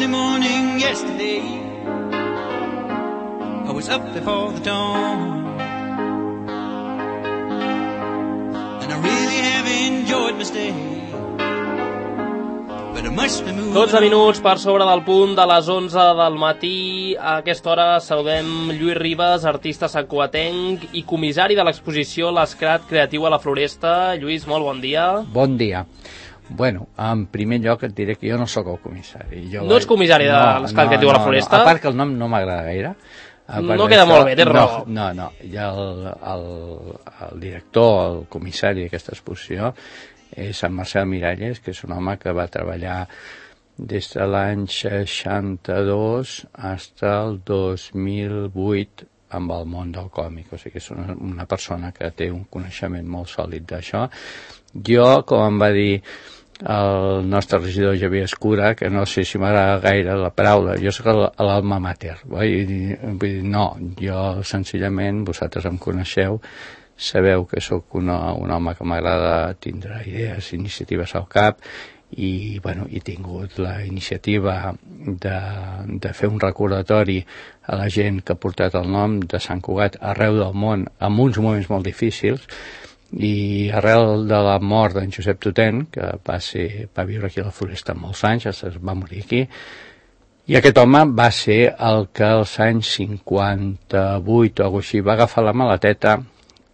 early morning yesterday. I was up before the dawn, and I really have enjoyed my stay. 12 minuts per sobre del punt de les 11 del matí. A aquesta hora saludem Lluís Ribas, artista santcugatenc i comissari de l'exposició L'Escrat Creatiu a la Floresta. Lluís, molt bon dia. Bon dia. Bueno, en primer lloc et diré que jo no sóc el comissari. No ets comissari de l'Escrat Creatiu a la Floresta? A part que el nom no m'agrada gaire. No queda molt bé, tens raó. No, ja el director, el comissari d'aquesta exposició és en Marcel Miralles, que és un home que va treballar des de l'any 62 fins al 2008 amb el món del còmic, o sigui que és una persona que té un coneixement molt sòlid d'això. Jo, com em va dir el nostre regidor Javier Escura, que no sé si m'agrada gaire la paraula, jo soc l'alma mater, vull dir, no, jo senzillament, vosaltres em coneixeu, sabeu que sóc un home que m'agrada tindre idees, iniciatives al cap i bueno, he tingut la iniciativa de fer un recordatori a la gent que ha portat el nom de Sant Cugat arreu del món en uns moments molt difícils, i arrel de la mort d'en Josep Tutent, que va viure aquí a la Floresta molts anys, es va morir aquí, i aquest home va ser el que als anys 58 o alguna així va agafar la maleteta,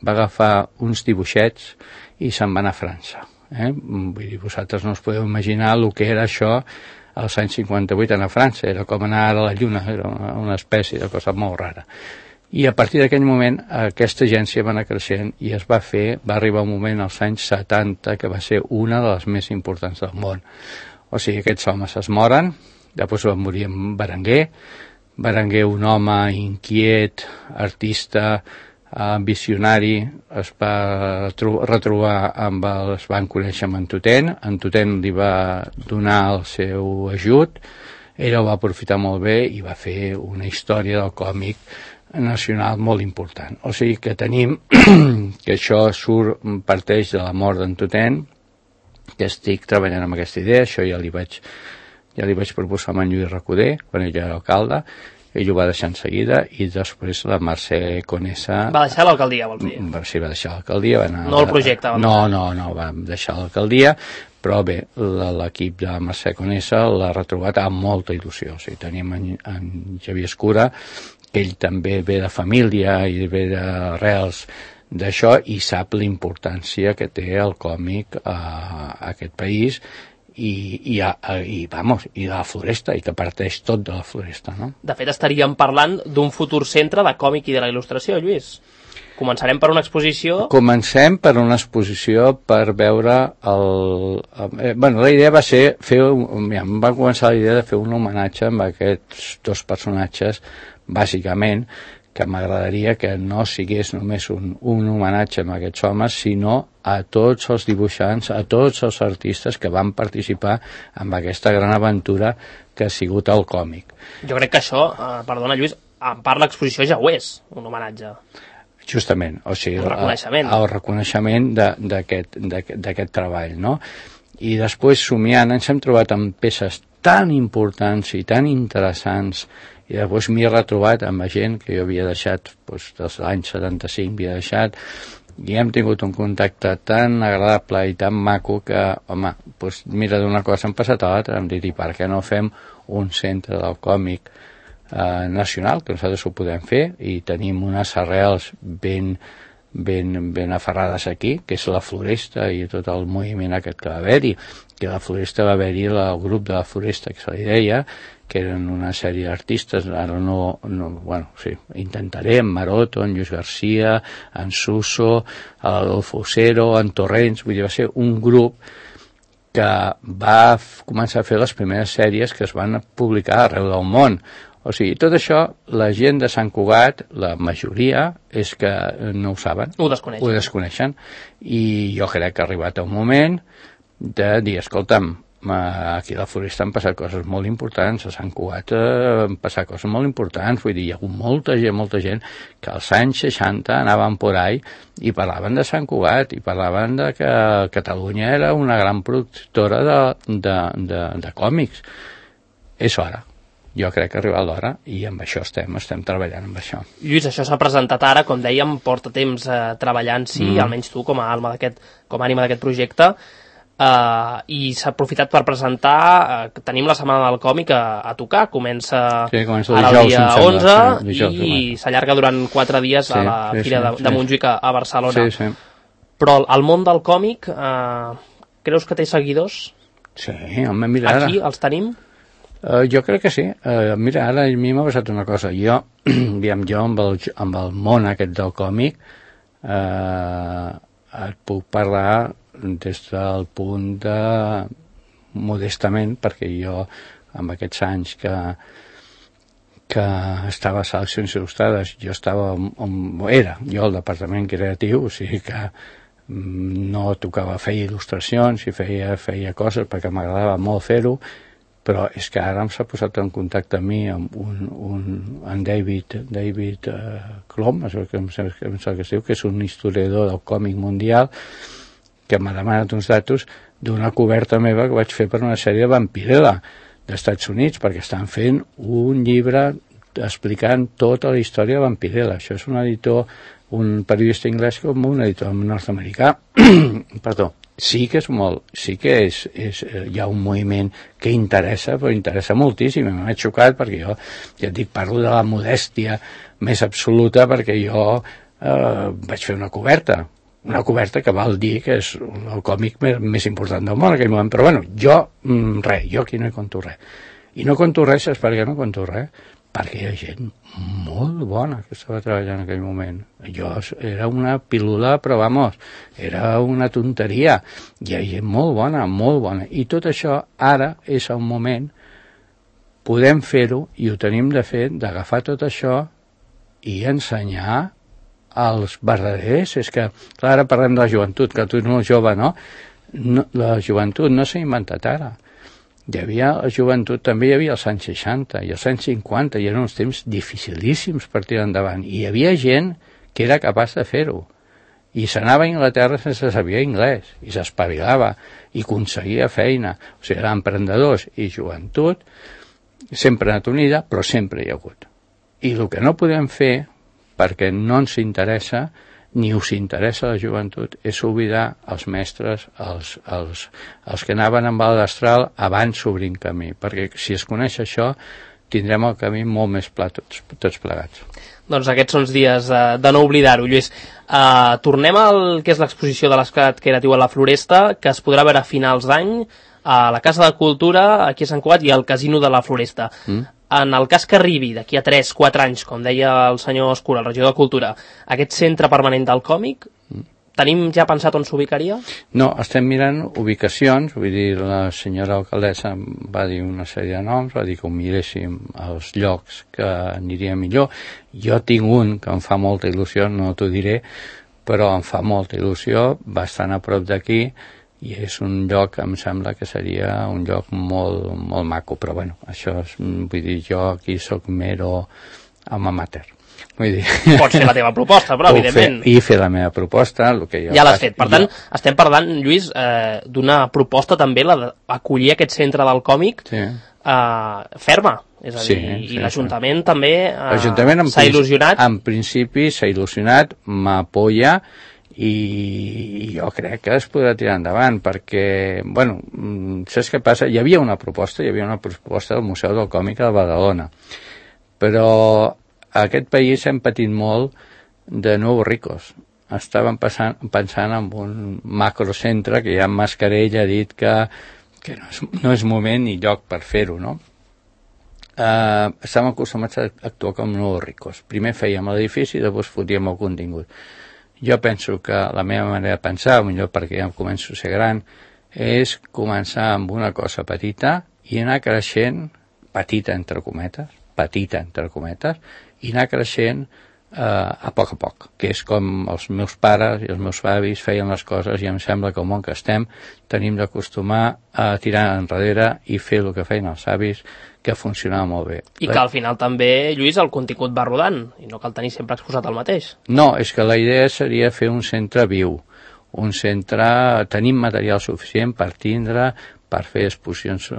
va agafar uns dibuixets i se'n va anar a França. Vull dir, vosaltres no us podeu imaginar el que era això als anys 58 anar a França, era com anar a la Lluna, era una espècie de cosa molt rara. I a partir d'aquell moment aquesta agència va anar creixent i va arribar un moment als anys 70 que va ser una de les més importants del món. O sigui, aquests homes es moren, després va morir en Berenguer, un home inquiet, artista, visionari, es va retrobar es van conèixer amb en Tutent li va donar el seu ajut, ell ho va aprofitar molt bé i va fer una història del còmic nacional molt important. O sigui que tenim que això parteix de la mort d'en Tutent, que estic treballant amb aquesta idea, això ja li vaig proposar a en Lluís Recoder quan ell era alcalde. Ell ho va deixar en seguida i després la Mercè Conesa... Va deixar l'alcaldia, vols dir? Sí, va deixar l'alcaldia. No el projecte. No, va deixar l'alcaldia, però bé, l'equip de Mercè Conesa l'ha retrobat amb molta il·lusió. O sigui, tenim en Javier Escura, que ell també ve de família i ve d'arrels d'això i sap la importància que té el còmic a aquest país i de la Floresta, i que parteix tot de la Floresta, no? De fet, estaríem parlant d'un futur centre de còmic i de la il·lustració, Lluís. Començarem per una exposició... Comencem per una exposició per veure la idea va ser em va començar la idea de fer un homenatge amb aquests dos personatges, bàsicament, que m'agradaria que no sigués només un homenatge a aquests homes, sinó a tots els dibuixants, a tots els artistes que van participar en aquesta gran aventura que ha sigut el còmic. Jo crec que això, perdona Lluís, en part l'exposició ja ho és, un homenatge. Justament, o sigui, el reconeixement d'aquest treball, no? I després, somiant, ens hem trobat amb peces tan importants i tan interessants, i després m'hi he retrobat amb gent que jo havia deixat des de l'any 75, havia deixat, i hem tingut un contacte tan agradable i tan maco que, home, mira, d'una cosa hem passat a l'altra, hem dit, i per què no fem un centre del còmic nacional, que nosaltres ho podem fer, i tenim unes arrels ben aferrades aquí, que és la Floresta i tot el moviment aquest que va haver-hi, que a la Floresta va haver-hi el grup de la Floresta, que se li deia, que eren una sèrie d'artistes, ara intentaré, en Maroto, en Lluís Garcia, en Suso, l'Adolfo Osero, en Torrents, vull dir, va ser un grup que va començar a fer les primeres sèries que es van publicar arreu del món. O sigui, tot això, la gent de Sant Cugat, la majoria, és que no ho saben. Ho desconeixen. I jo crec que ha arribat un moment de dir, escolta'm, aquí a la Floresta han passat coses molt importants, a Sant Cugat han passat coses molt importants, vull dir, hi ha hagut molta gent que als anys 60 anaven por ahí i parlaven de Sant Cugat i parlaven de que Catalunya era una gran productora de còmics. és hora. Jo crec que ha arribat l'hora i amb això estem treballant amb això. Lluís, això s'ha presentat ara, com dèiem, porta temps treballant-s'hi, almenys tu com a ànima d'aquest projecte, i s'ha aprofitat per presentar, tenim la Setmana del Còmic a tocar, comença ara el dia 11 i s'allarga durant 4 dies a la Fira de Montjuïc a Barcelona. Però el món del còmic, creus que té seguidors? Sí, home, mira ara. Aquí els tenim? Jo crec que sí. Mira, ara a mi m'ha passat una cosa. Jo amb el món aquest del còmic et puc parlar des del punt de modestament, perquè jo amb aquests anys que estava a Seleccions Il·lustrades, jo estava jo al departament creatiu, o sigui que no tocava, feia il·lustracions i feia coses perquè m'agradava molt fer-ho, però és que ara s'ha posat en contacte amb mi amb en David Klom, que és un historiador del còmic mundial, que m'ha demanat uns datos d'una coberta meva que vaig fer per una sèrie de Vampirella d'Estats Units, perquè estan fent un llibre explicant tota la història de Vampirella. Això és un editor, un periodista anglès com un editor nord-americà. Perdó. Sí que hi ha un moviment que interessa, però interessa moltíssim. M'ha xocat perquè jo, ja et dic, parlo de la modèstia més absoluta, perquè jo vaig fer una coberta que val dir que és el còmic més important del món en aquell moment, però bueno, jo aquí no hi conto res. I no conto res, saps per què no conto res? Perquè hi ha gent molt bona que estava treballant en aquell moment. Era una pílula, però vamos, era una tonteria. Hi ha gent molt bona, i tot això ara és el moment, podem fer-ho, i ho tenim de fer, d'agafar tot això i ensenyar als verdaders. És que, clar, ara parlem de la joventut, que tu ets molt jove, no? La joventut no s'ha inventat ara. La joventut també hi havia als anys 60 i als anys 50, i eren uns temps dificilíssims per tirar endavant, i hi havia gent que era capaç de fer-ho, i s'anava a Anglaterra sense saber anglès, i s'espavilava, i aconseguia feina. O sigui, eren emprendedors i joventut, sempre ha anat unida, però sempre hi ha hagut. I el que no podem fer, perquè no ens interessa, ni us interessa la joventut, és oblidar els mestres, els que anaven amb el destral abans s'obrint camí, perquè si es coneix això tindrem el camí molt més pla tots plegats. Doncs aquests són els dies de no oblidar-ho, Lluís. Tornem al que és l'exposició de l'Esclat Creatiu a la Floresta, que es podrà veure a finals d'any a la Casa de Cultura, aquí a Sant Cugat, i al Casino de la Floresta. En el cas que arribi d'aquí a 3-4 anys, com deia el senyor Escura, el regidor de Cultura, aquest centre permanent del còmic, tenim ja pensat on s'ubicaria? No, estem mirant ubicacions, vull dir, la senyora alcaldessa va dir una sèrie de noms, va dir que ho miréssim als llocs que aniria millor. Jo tinc un que em fa molta il·lusió, no t'ho diré, però em fa molta il·lusió, bastant a prop d'aquí, i és un lloc que em sembla que seria un lloc molt, molt maco, però bueno, això és, vull dir, jo aquí soc mero amateur. Vull dir... Pots fer la teva proposta, però evidentment... I fer la meva proposta, el que jo... Ja l'has fet. Per tant, estem parlant, Lluís, d'una proposta també, la d'acollir aquest centre del còmic ferma. És a dir, i l'Ajuntament també s'ha il·lusionat. En principi s'ha il·lusionat, m'apoya, i jo crec que es podrà tirar endavant, perquè, bueno, saps què passa? Hi havia una proposta del Museu del Còmic de Badalona, però a aquest país hem patit molt de nous ricos. Estàvem pensant en un macrocentre que ja en Mascarell ha dit que no és moment ni lloc per fer-ho, no? Estàvem acostumats a actuar com nous ricos. Primer fèiem l'edifici i després fotíem el contingut. Jo penso que la meva manera de pensar, millor perquè ja començo a ser gran, és començar amb una cosa petita i anar creixent, petita entre cometes, i anar creixent a poc, que és com els meus pares i els meus avis feien les coses, i em sembla que el món que estem tenim d'acostumar a tirar enrere i fer el que feien els avis, que funcionava molt bé. I que al final també, Lluís, el contingut va rodant, i no cal tenir sempre exposat el mateix. No, és que la idea seria fer un centre viu, un centre... Tenim material suficient per tindre, per fer exposicions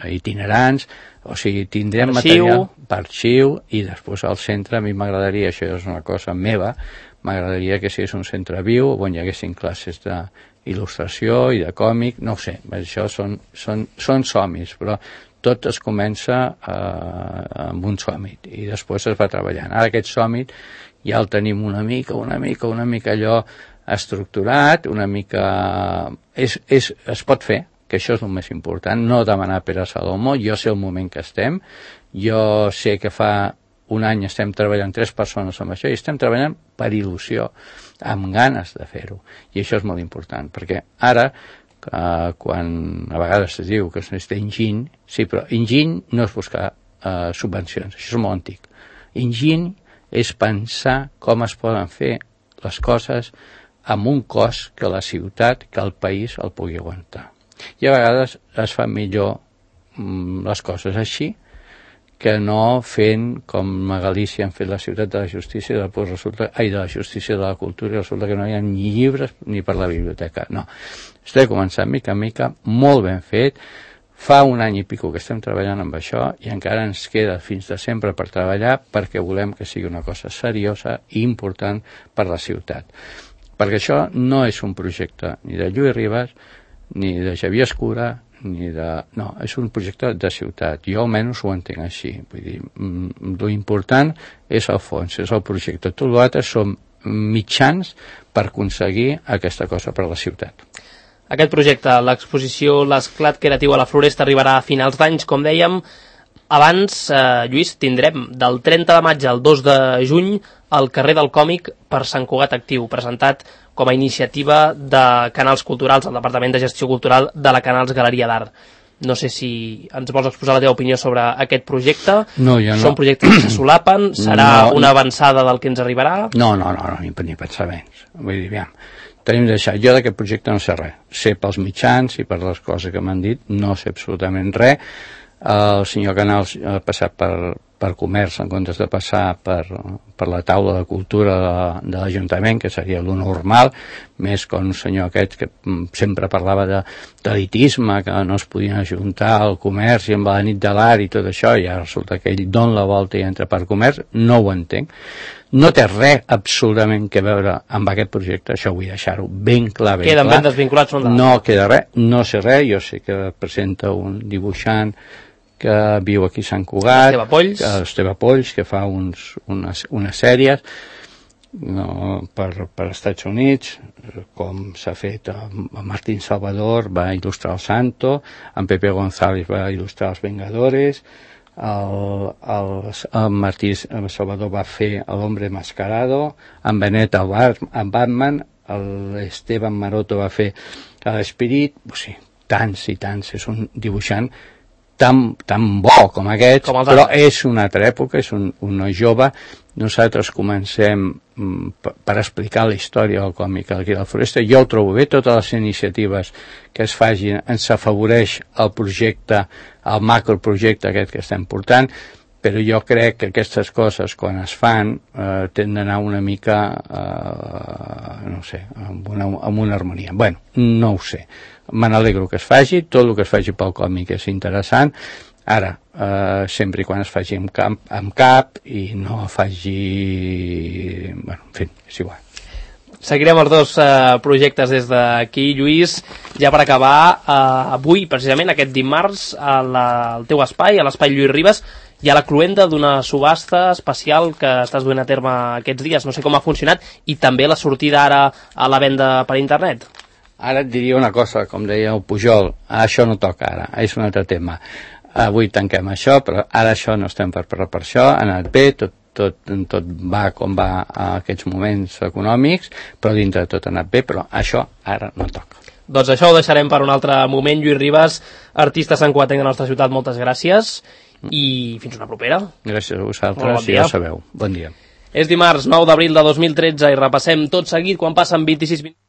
itinerants, o sigui, tindrem material per arxiu, i després al centre, a mi m'agradaria, això és una cosa meva, m'agradaria que sigués un centre viu on hi haguessin classes d'il·lustració i de còmic, no ho sé, això són somnis, però tot es comença amb un sòmit i després es va treballant. Ara aquest sòmit ja el tenim una mica allò estructurat, una mica... es pot fer, que això és el més important, no demanar Pere Salomó. Jo sé el moment que estem, jo sé que fa un any estem treballant 3 persones amb això i estem treballant per il·lusió, amb ganes de fer-ho, i això és molt important, perquè ara quan a vegades es diu que es necessita enginy, sí, però enginy no és buscar subvencions, això és molt antic. Enginy és pensar com es poden fer les coses amb un cost que la ciutat, que el país el pugui aguantar. I a vegades es fan millor les coses així que no fent com a Galícia han fet la ciutat de la justícia i després resulta, de la justícia de la cultura, i resulta que no hi ha ni llibres ni per la biblioteca. No, estem començant mica en mica, molt ben fet. Fa un any i pico que estem treballant amb això i encara ens queda fins de sempre per treballar, perquè volem que sigui una cosa seriosa i important per la ciutat. Perquè això no és un projecte ni de Lluís Ribas ni de Xavier Escura, no, és un projecte de ciutat. Jo almenys ho entenc així. Vull dir, l'important és el fons, és el projecte. Tot l'altre són mitjans per aconseguir aquesta cosa per a la ciutat. Aquest projecte, l'exposició L'Esclat Creatiu a la Floresta, arribarà a finals d'anys, com dèiem. Abans, Lluís, tindrem del 30 de maig al 2 de juny al carrer del Còmic per Sant Cugat Actiu, presentat com a iniciativa de Canals Culturals, al Departament de Gestió Cultural de la Canals Galeria d'Art. No sé si ens vols exposar la teva opinió sobre aquest projecte. No, jo no. Són projectes que se solapen? Serà una avançada del que ens arribarà? No, ni pensar menys. Vull dir, aviam, tenim de deixar. Jo d'aquest projecte no sé res. Sé pels mitjans i per les coses que m'han dit, no sé absolutament res. El senyor Canals ha passat per comerç en comptes de passar per la taula de cultura de l'Ajuntament, que seria lo normal, més que un senyor aquest que sempre parlava d'elitisme, que no es podien ajuntar al comerç i amb la nit de l'art i tot això, i ara resulta que ell dona la volta i entra per comerç. No ho entenc. No té res absolutament que veure amb aquest projecte, això vull deixar-ho ben clar, ben Queden clar. ben desvinculats són No queda res, no sé res. Jo sé que presenta un dibuixant que viu aquí a Sant Cugat, Esteve Polls, que fa unes sèries per Estats Units, com s'ha fet amb Martín Salvador, va il·lustrar el Santo, en Pepe González va il·lustrar els Vengadores, el Martí Salvador va fer l'Hombre Mascarado, en Benet en Batman, l'Esteban Maroto va fer l'Espirit, o sigui, tants i tants, és un dibuixant tan bo com aquest, però és una altra època, és una jove. Nosaltres comencem per explicar la història del còmic aquí a la Floresta. Jo ho trobo bé, totes les iniciatives que es facin ens afavoreix el projecte, el macroprojecte aquest que estem portant, però jo crec que aquestes coses, quan es fan, tenen d'anar una mica, no sé, amb una harmonia. Bueno, no ho sé. Me n'alegro que es faci, tot el que es faci pel còmic és interessant. Ara, sempre i quan es faci amb cap i no faci... Bueno, en fi, és igual. Seguirem els dos projectes des d'aquí, Lluís. Ja per acabar, avui, precisament, aquest dimarts, al teu espai, a l'espai Lluís Ribas, hi ha la cloenda d'una subhasta especial que estàs duent a terme aquests dies. No sé com ha funcionat, i també la sortida ara a la venda per internet. Ara et diria una cosa, com deia el Pujol, això no toca ara, és un altre tema. Avui tanquem això, però ara això no estem per això, ha anat bé, tot va com va a aquests moments econòmics, però dintre de tot ha anat bé, però això ara no toca. Doncs això ho deixarem per un altre moment. Lluís Ribas, artista santcugatenc de la nostra ciutat, moltes gràcies i fins una propera. Gràcies a vosaltres, ja ho sabeu. Bon dia. És dimarts 9 d'abril de 2013 i repassem tot seguit quan passen 26 minuts.